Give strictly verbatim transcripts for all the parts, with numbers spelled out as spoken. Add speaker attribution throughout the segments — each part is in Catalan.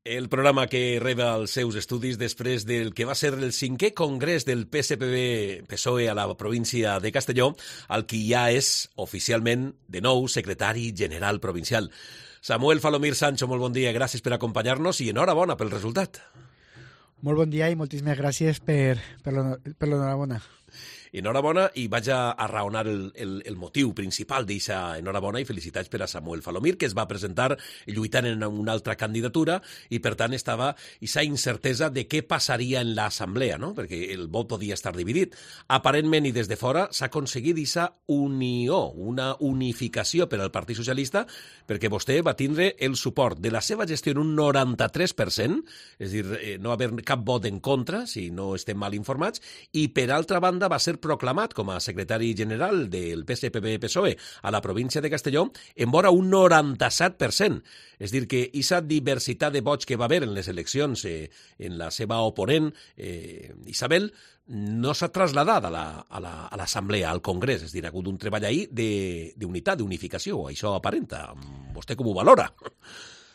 Speaker 1: El programa que reba els seus estudis després del que va ser el cinquè congrés del P S P B-P S O E a la província de Castelló, al qui ja és oficialment de nou secretari general provincial. Samuel Falomir Sancho, molt bon dia, gràcies per acompanyar-nos i enhorabona pel resultat.
Speaker 2: Molt bon dia i moltíssimes gràcies per, per l'enhorabona.
Speaker 1: Enhorabona, i vaig a, a raonar el, el, el motiu principal d'eixa enhorabona i felicitats per a Samuel Falomir, que es va presentar lluitant en una altra candidatura i, per tant, estava eixa incertesa de què passaria en l'assemblea, no? Perquè el vot podia estar dividit. Aparentment, i des de fora, s'ha aconseguit eixa unió, una unificació per al Partit Socialista, perquè vostè va tindre el suport de la seva gestió en un noranta-tres per cent, és a dir, no haver cap vot en contra, si no estem mal informats, i, per altra banda, va ser proclamat com a secretari general del P S P B-P S O E a la província de Castelló en vora un noranta-set per cent. És dir, que aquesta diversitat de vots que va haver en les eleccions eh, en la seva oponent, eh, Isabel, no s'ha traslladat a l'assemblea, la, a al Congrés. És dir, ha hagut un treball ahí d'unitat, d'unificació. Això aparenta. Vostè com ho valora?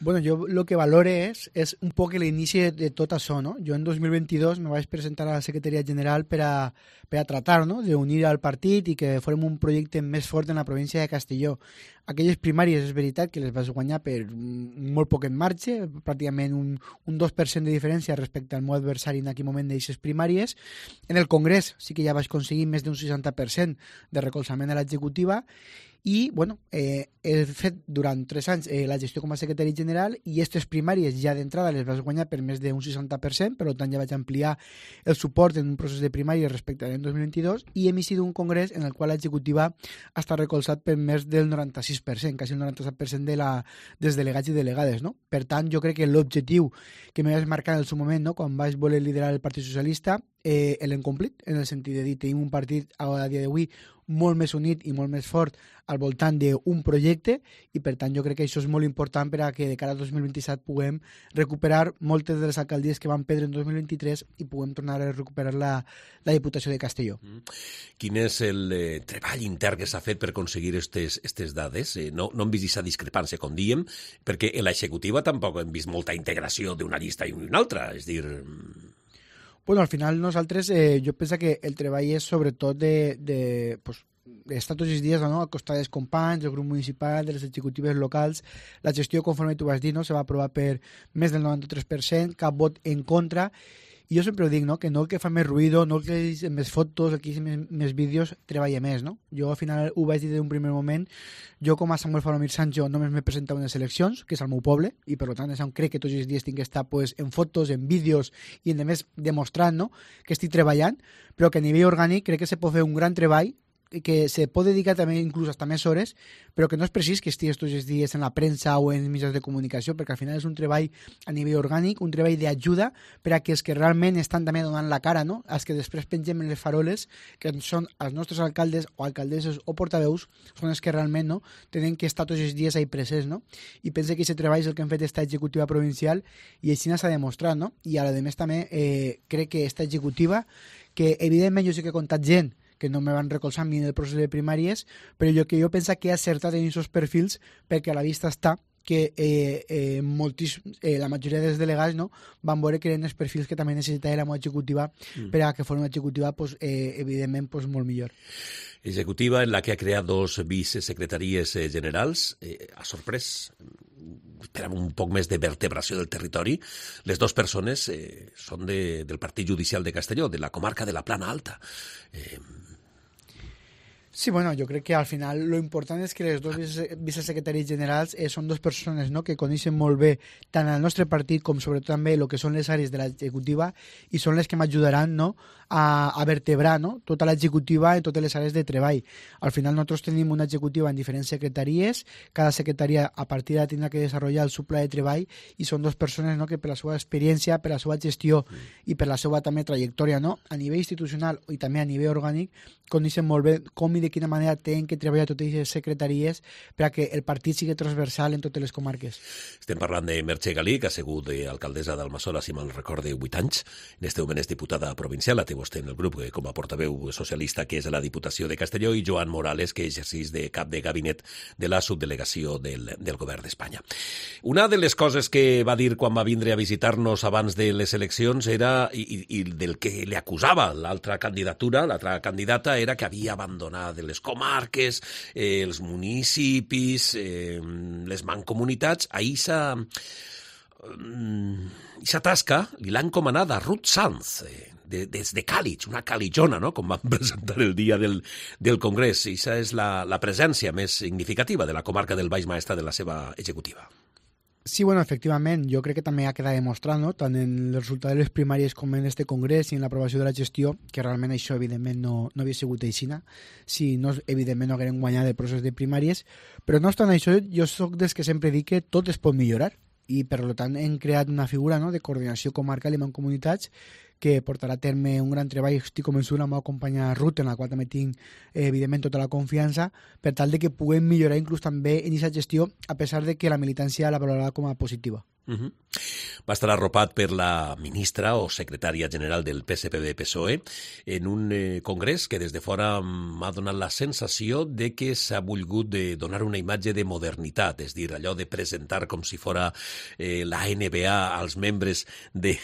Speaker 2: Bueno, yo lo que valore es, es un poco el inicio de, de tot això, ¿no? Yo en dos mil veintidós me vaig presentar a la Secretaria General per a, per a tratar, ¿no?, d'unir al partit i que fórem un projecte més fort en la província de Castelló. Aquelles primàries és veritat que les vas guanyar per molt poc en marxa, pràcticament un, un dos per cent de diferència respecte al meu adversari en aquell moment d'aixes primàries. En el Congrés sí que ja vaig aconseguir més d'un seixanta per cent de recolzament a l'executiva i, bueno, eh, he fet durant tres anys eh, la gestió com a secretari general i aquestes primàries ja d'entrada les vas guanyar per més d'un seixanta per cent, per tant ja vaig ampliar el suport en un procés de primàries respecte a l'any dos mil vint-i-dos i hem iniciat un congrés en el qual l'executiva ha estat recolzat per més del noranta-sis per cent, quasi el noranta-set per cent de la, dels delegats i delegades, no? Per tant, jo crec que l'objectiu que me vaig marcar en el seu moment, no?, quan vaig voler liderar el Partit Socialista, eh, l'hem complit, en el sentit de dir, tenim un partit a dia d'avui molt més unit i molt més fort al voltant d'un projecte i, per tant, jo crec que això és molt important per a que de cara al dos mil vint-i-set puguem recuperar moltes de les alcaldies que van perdre en dos mil vint-i-tres i puguem tornar a recuperar la, la Diputació de Castelló. Mm.
Speaker 1: Quin és el eh, treball intern que s'ha fet per aconseguir aquestes dades? Eh, no, no hem vist aquesta discrepància, com diem, perquè en l'executiva tampoc hem vist molta integració d'una llista i una altra, és dir...
Speaker 2: Bueno, al final nosaltres, eh, jo penso que el treball és sobretot de, de, pues, d'estar tots els dies, no?, al costat dels companys, del grup municipal, de les executives locals. La gestió, conforme tu vas dir, no?, se va aprovar per més del noranta-tres per cent, cap vot en contra. I jo sempre ho dic, no?, que no el que fa més ruïdo, no el que és més fotos, el que és més, més vídeos, treballa més, no? Jo al final ho vaig dir d'un primer moment, jo com a Samuel Falomir Sancho només m'he presentat unes eleccions, que és al meu poble, i per tant és on crec que tots els dies tinc que estar pues, en fotos, en vídeos i a més demostrant, no?, que estic treballant, però que a nivell orgànic crec que se pot fer un gran treball que se pot dedicar també inclús hasta més hores, però que no és precís que estigues tots els dies en la premsa o en mitjans de comunicació, perquè al final és un treball a nivell orgànic, un treball d'ajuda per a que els que realment estan també donant la cara, no?, els que després pengem en les faroles, que són els nostres alcaldes o alcaldesses o portaveus, són els que realment, no?, tenen que estar tots els dies ahí presents, no? I pense que aquest treball és el que hem fet esta executiva provincial i així s'ha demostrat, no? I a més també eh, crec que esta executiva, que evidentment jo sé que he comptat gent que no me van recolzar a mi en el procés de primàries, però jo que jo penso que he acertat en aquests perfils perquè a la vista està que eh, eh, moltis, eh, la majoria dels delegats, no?, van veure que eren els perfils que també necessitava la meva executiva mm. per a que fos una executiva pues, eh, evidentment pues, molt millor.
Speaker 1: Executiva en la que ha creat dos vicesecretaries eh, generals, eh, ha sorprès, esperàvem un poc més de vertebració del territori. Les dues persones eh, són de, del Partit Judicial de Castelló, de la comarca de la Plana Alta. Eh,
Speaker 2: Sí, bueno, jo crec que al final lo important és que les dos vicesecretaris generals eh, són dues persones, no?, que coneixen molt bé tant el nostre partit com sobretot també el que són les àrees de l'executiva i són les que m'ajudaran, no?, a, a vertebrar, no?, tota l'executiva en totes les àrees de treball. Al final nosaltres tenim una executiva en diferents secretaries, cada secretaria a partir de tindrà que desenvolupar el seu pla de treball i són dues persones, no?, que per la seva experiència, per la seva gestió i per la seva també trajectòria, no?, a nivell institucional i també a nivell orgànic coneixen molt bé com i de quina manera tenen que treballar totes les secretaries per a que el partit sigui transversal en totes les comarques.
Speaker 1: Estem parlant de Merche Galí, que ha sigut alcaldessa d'Almassora, si me'n recorde, vuit anys. En este moment és diputada provincial, la té vostè en el grup com a portaveu socialista, que és a la Diputació de Castelló, i Joan Morales, que exerceix de cap de gabinet de la subdelegació del, del govern d'Espanya. Una de les coses que va dir quan va vindre a visitar-nos abans de les eleccions era, i, i del que li acusava l'altra candidatura, l'altra candidata, era que havia abandonat les comarques, eh, els municipis, eh, les mancomunitats. Ahir s'ha... Aquesta tasca li l'ha encomanada a Ruth Sanz, eh, de, des de Càlig, una calitjona, no?, com van presentar el dia del, del Congrés. I aquesta és la, la presència més significativa de la comarca del Baix Maestrat de la seva executiva.
Speaker 2: Sí, bueno, efectivament, jo crec que també ha quedat demostrat, no?, tant en el resultat de les primàries com en este congrés i en l'aprovació de la gestió, que realment això, evidentment, no, no havia sigut aixina, si no, evidentment, no hagueren guanyat el procés de primàries, però no obstant això, jo sóc dels que sempre dic que tot es pot millorar, i per tant hem creat una figura, no?, de coordinació comarcal i mancomunitats que portarà a terme un gran treball. Estic convençut, la meva companya Ruth, en la qual també tinc, eh, evidentment, tota la confiança, per tal de que puguem millorar inclús també en aquesta gestió, a pesar de que la militància la valorarà com a positiva.
Speaker 1: Uh-huh. Va estar arropat per la ministra o secretària general del P S P B P S O E en un eh, congrés que des de fora m'ha donat la sensació de que s'ha volgut de donar una imatge de modernitat, és dir, allò de presentar com si fora eh, la N B A als membres de,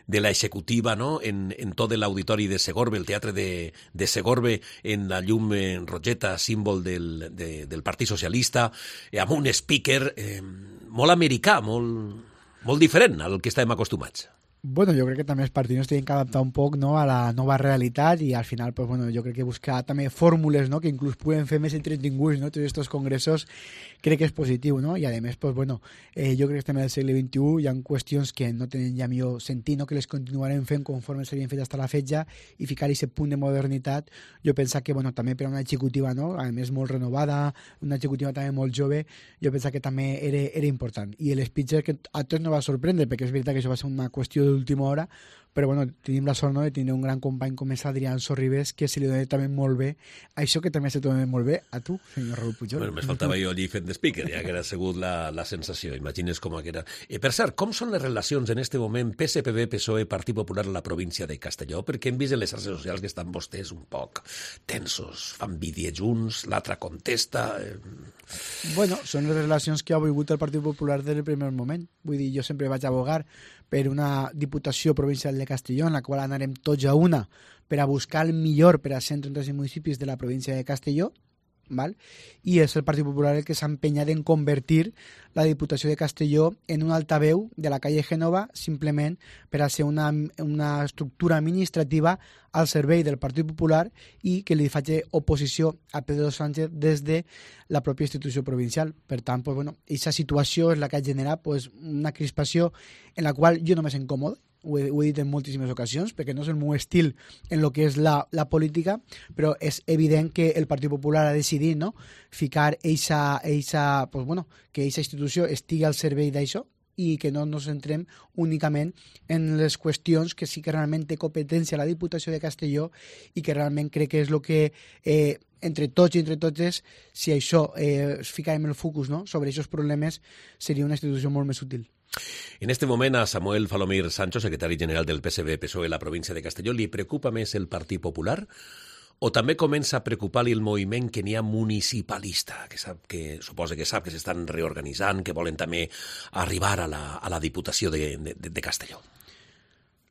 Speaker 1: de la executiva, no?, en, en tot l'auditori de Segorbe, el teatre de, de Segorbe, en la llum eh, rogeta, símbol del, de, del Partit Socialista, eh, amb un speaker eh, molt americà, molt... molt diferent al que estàvem acostumats.
Speaker 2: Bueno, jo crec que també els partits tenen que adaptar un poc, no?, a la nova realitat i al final, pues, bueno, jo crec que buscar també fórmules, no?, que inclús puguen fer més entretinguts, no?, tots aquests congressos, crec que és positiu, no?, i a més, pues, bueno, eh, jo crec que estem en el segle vint-i-u, hi ha qüestions que no tenen ja millor sentit, no?, que les continuarem fent conforme s'havien fet fins a la fetge i ficar aquest punt de modernitat. Jo penso que, bueno, també per a una executiva, no?, a més molt renovada, una executiva també molt jove, jo penso que també era, era important. I el speech que a tots no va sorprendre, perquè és veritat que això va ser una qüestió d'última hora, però bueno, tenim la sort, no?, de tenir un gran company com és Adrián Sorribes, que se li dona també molt bé això que també se te dona molt bé a tu, senyor Raúl Pujol.
Speaker 1: Bueno, més faltava jo allí fent de speaker, ja que era segut la, la sensació, imagines com era. Eh, per cert, com són les relacions en este moment P S P B, P S O E, Partit Popular a la província de Castelló? Perquè hem vist en les xarxes socials que estan vostès un poc tensos, fan vídeos junts, l'altre contesta... Eh...
Speaker 2: Bueno, són les relacions que ha volgut el Partit Popular des del primer moment. Vull dir, jo sempre vaig abogar per una Diputació Provincial de Castelló, en la qual anarem tots a una per a buscar el millor per a cent trenta municipis de la província de Castelló, val? I és el Partit Popular el que s'ha empenyat en convertir la Diputació de Castelló en un altaveu de la calle Gènova, simplement per a ser una, una estructura administrativa al servei del Partit Popular i que li faci oposició a Pedro Sánchez des de la pròpia institució provincial. Per tant, pues, bueno, aquesta situació és la que ha generat, pues, una crispació en la qual jo no m'és incòmode. Ho he, ho he dit en moltíssimes ocasions, perquè no és el meu estil en el que és la, la política, però és evident que el Partit Popular ha decidit, no?, ficar eixa, eixa, pues, bueno, que eixa institució estigui al servei d'això i que no ens centrem únicament en les qüestions que sí que realment té competència la Diputació de Castelló i que realment crec que és el que eh, entre tots i entre totes, si això eh, es ficarem el focus, no?, sobre aquests problemes, seria una institució molt més útil.
Speaker 1: En este moment a Samuel Falomir Sancho, secretari general del P S B P S O E a la província de Castelló, li preocupa més el Partit Popular o també comença a preocupar-li el moviment que n'hi ha municipalista, que, sap, que suposa que sap que s'estan reorganitzant, que volen també arribar a la, a la Diputació de, de, de Castelló?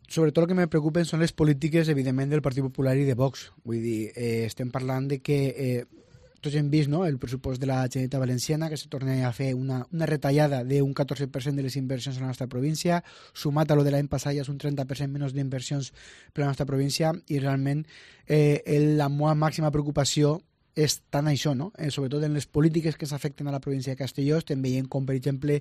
Speaker 2: Sobretot el que me preocupen són les polítiques, evidentment, del Partit Popular i de Vox. Vull dir, eh, estem parlant de que... Eh, tots hem vist, no?, el pressupost de la Generalitat Valenciana, que se torna a fer una, una retallada d'un catorze per cent de les inversions a la nostra província, sumat a lo de l'any passat ja és un trenta per cent menys d'inversions per a la nostra província, i realment eh, la meva màxima preocupació és tant això, no?, eh, sobretot en les polítiques que s'afecten a la província de Castelló. Estem veient com, per exemple,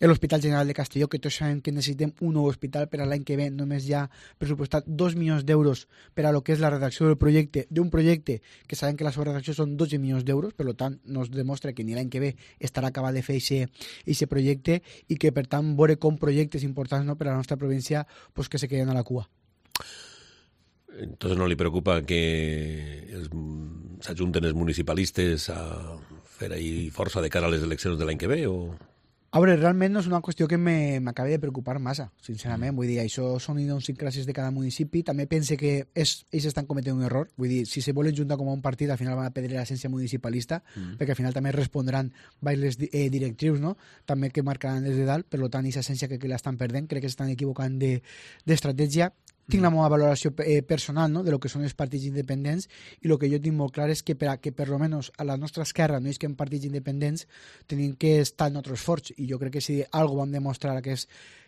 Speaker 2: l'Hospital General de Castelló, que tots sabem que necessitem un nou hospital per a l'any que ve, només hi ha pressupostat dos milions d'euros per a lo que és la redacció del projecte, d'un projecte que sabem que la seva redacció són dotze milions d'euros, per tant, nos demostra que ni l'any que ve estarà acabat de fer aquest projecte i que, per tant, veure com projectes importants, no?, per a la nostra província, pues, que se queden a la cua.
Speaker 1: Entonces no li preocupa que els- s'ajunten els municipalistes a fer ahí força de cara a les eleccions de l'any que ve? O...
Speaker 2: A veure, realment no és una qüestió que me- m'acabi de preocupar massa, sincerament. Vull dir, això són idiosincràsies de cada municipi. També pense que és, ells estan cometent un error. Vull dir, si se volen juntar com a un partit, al final van a perdre l'essència municipalista, mm. perquè al final també respondran les eh, directrius, no? També que marcaran des de dalt. Per tant, aquesta essència que, que l'estan perdent, crec que s'estan equivocant de- d'estratègia. Tinc la meva valoració eh, personal, no?, de lo que són els partits independents, i el que jo tinc molt clar és que per a que per lo menos a la nostra esquerra no és que en partits independents tenim que estar en altres forts, i jo crec que si algo vam demostrar aquest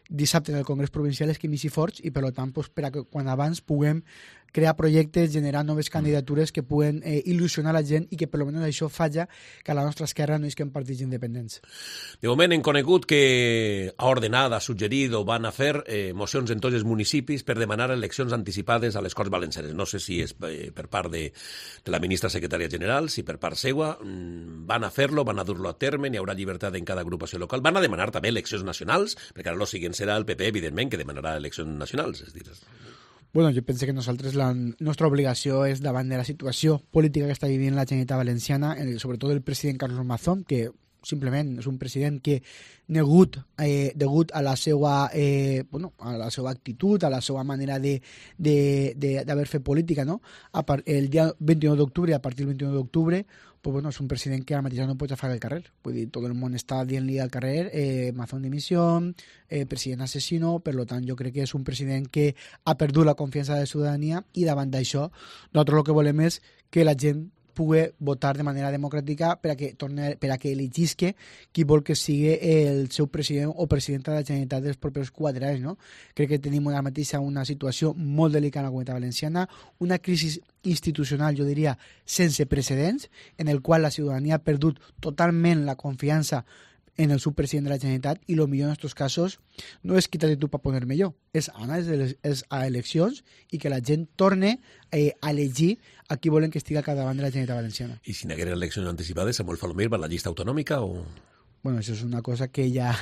Speaker 2: dissabte en el Congrés Provincial és que m'hi forts, i per tant pues, per a que quan abans puguem crear projectes, generar noves candidatures que puguen eh, il·lusionar la gent i que per almenys això falla que a la nostra esquerra no és que en partits independents.
Speaker 1: De moment hem conegut que ha ordenat, ha suggerit o van a fer eh, mocions en tots els municipis per demanar eleccions anticipades a les Corts Valencianes. No sé si és eh, per part de, de la ministra secretària general, si per part seua. Mm, van a fer-lo, van a dur-lo a terme, n'hi haurà llibertat en cada agrupació local. Van a demanar també eleccions nacionals, perquè ara el següent serà el P P, evidentment, que demanarà eleccions nacionals. És dir,
Speaker 2: Bueno, jo penso que nosaltres la nostra obligació és davant de la situació política que està vivint la Generalitat Valenciana, el, sobretot el president Carlos Mazón, que simplement és un president que negut, eh, degut a la seva eh, bueno, a la seva actitud, a la seva manera de d'haver fet política, no? A part, el dia vint-i-nou d'octubre, a partir del vint-i-nou d'octubre, pues bueno, és un president que ara mateix no pot agafar el carrer. Vull dir, tot el món està dient-li al carrer eh, Mazón dimissió, eh, president assassino. Per tant, jo crec que és un president que ha perdut la confiança de la ciutadania, i davant d'això nosaltres el que volem és que la gent pugui votar de manera democràtica per a que torne, per a que elegisque qui vol que sigui el seu president o presidenta de la Generalitat dels propers quatre anys, no? Crec que tenim ara mateix una situació molt delicada a la Comunitat Valenciana, una crisi institucional, jo diria, sense precedents, en el qual la ciutadania ha perdut totalment la confiança en el subpresident de la Generalitat, i el millor en aquests casos no és quitar-te tu per poner millor, és anar a eleccions i que la gent torne eh, a elegir a qui volen que estigui al capdavant de la Generalitat Valenciana.
Speaker 1: I si n'hi haguera eleccions anticipades, Samuel Falomir va a la llista autonòmica o...?
Speaker 2: Bueno, això és una cosa que ja,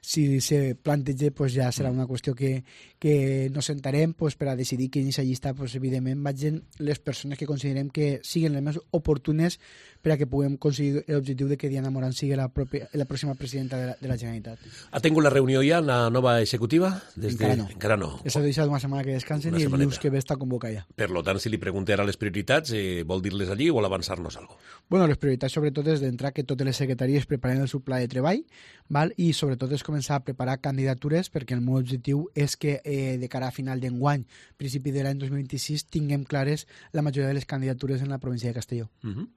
Speaker 2: si se planteja, pues ja serà una qüestió que, que nos sentarem pues, per a decidir que en aquesta llista, pues, evidentment, vagin les persones que considerem que siguin les més oportunes per a que puguem aconseguir l'objectiu de que Diana Morant sigui la, pròpia, la pròxima presidenta de la, de la Generalitat.
Speaker 1: Ha tingut la reunió ja, la nova executiva? Des
Speaker 2: Encara
Speaker 1: de...
Speaker 2: no.
Speaker 1: Encara no.
Speaker 2: S'ha deixat una setmana que descansen
Speaker 1: Una
Speaker 2: i el
Speaker 1: setmaneta.
Speaker 2: dilluns que ve està convocat ja.
Speaker 1: Per lo tant, si li pregunté ara les prioritats, eh, vol dir-les allí o vol avançar-nos alguna cosa?
Speaker 2: Bueno, les prioritats sobretot és d'entrar que totes les secretaries preparen el seu pla de treball, val? I sobretot és començar a preparar candidatures, perquè el meu objectiu és que eh, de cara a final d'enguany, principi de l'any dos mil vint-i-sis, tinguem clares la majoria de les candidatures en la província de Castelló.
Speaker 1: Uh -huh.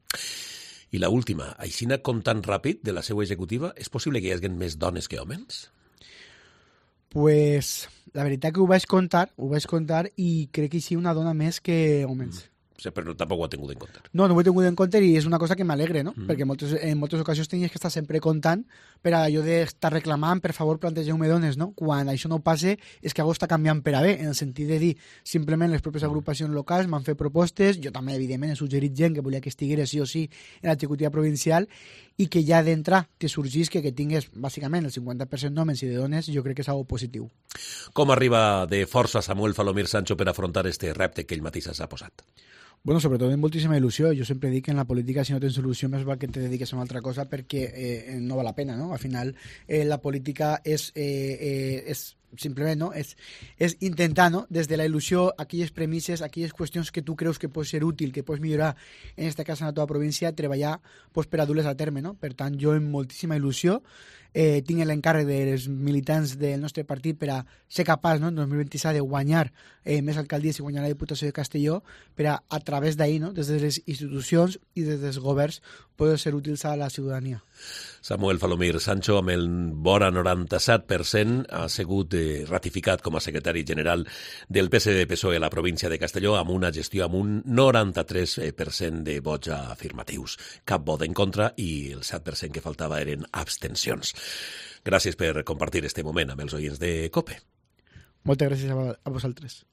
Speaker 1: I la última, aixina comptant ràpid de la seva executiva, és possible que hi hagi més dones que homes?
Speaker 2: Pues la veritat que ho vaig comptar, ho vaig comptar i crec que hi sí una dona més que homes.
Speaker 1: Mm. O sigui, però tampoc ho ha tingut en compte.
Speaker 2: No, no ho he tingut en compte i és una cosa que m'alegre, no?
Speaker 1: Mm.
Speaker 2: Perquè en moltes, en moltes ocasions tenies que estar sempre comptant per a allò d'estar reclamant, per favor, plantegeu-me dones, no? Quan això no passe és que algú està canviant per a bé, en el sentit de dir, simplement les pròpies agrupacions locals m'han fet propostes, jo també, evidentment, he suggerit gent que volia que estigués sí o sí en l'executiva provincial, i que ja d'entrar te sorgís que, que tingués, bàsicament, el cinquanta per cent d'homes i de dones, jo crec que és algo positiu.
Speaker 1: Com arriba de força Samuel Falomir Sancho per afrontar este repte que ell mateix s'ha posat?
Speaker 2: Bueno, sobretot amb moltíssima il·lusió. Jo sempre dic que en la política, si no tens il·lusió, més val que te dediques a una altra cosa perquè eh, no val la pena, no? Al final, eh, la política és, eh, eh, és simplement, no? És, és intentar, no? Des de la il·lusió, aquelles premisses, aquelles qüestions que tu creus que pot ser útil, que pots millorar, en aquest cas en la teva província, treballar pues, per a dur-les a terme, no? Per tant, jo amb moltíssima il·lusió eh, tinc l'encàrrec dels militants del nostre partit per a ser capaç, no? En dos mil vint-i-set de guanyar eh, més alcaldies i guanyar la Diputació de Castelló per a, a través d'ahir, no? Des de les institucions i des dels governs, poder ser útils a la ciutadania.
Speaker 1: Samuel Falomir Sancho, amb el vora noranta-set per cent, ha sigut eh, ratificat com a secretari general del P S D P S O E a la província de Castelló, amb una gestió amb un noranta-tres per cent de vots afirmatius. Cap vot en contra i el set per cent que faltava eren abstencions. Gràcies per compartir este moment amb els oients de COPE.
Speaker 2: Moltes gràcies a vosaltres.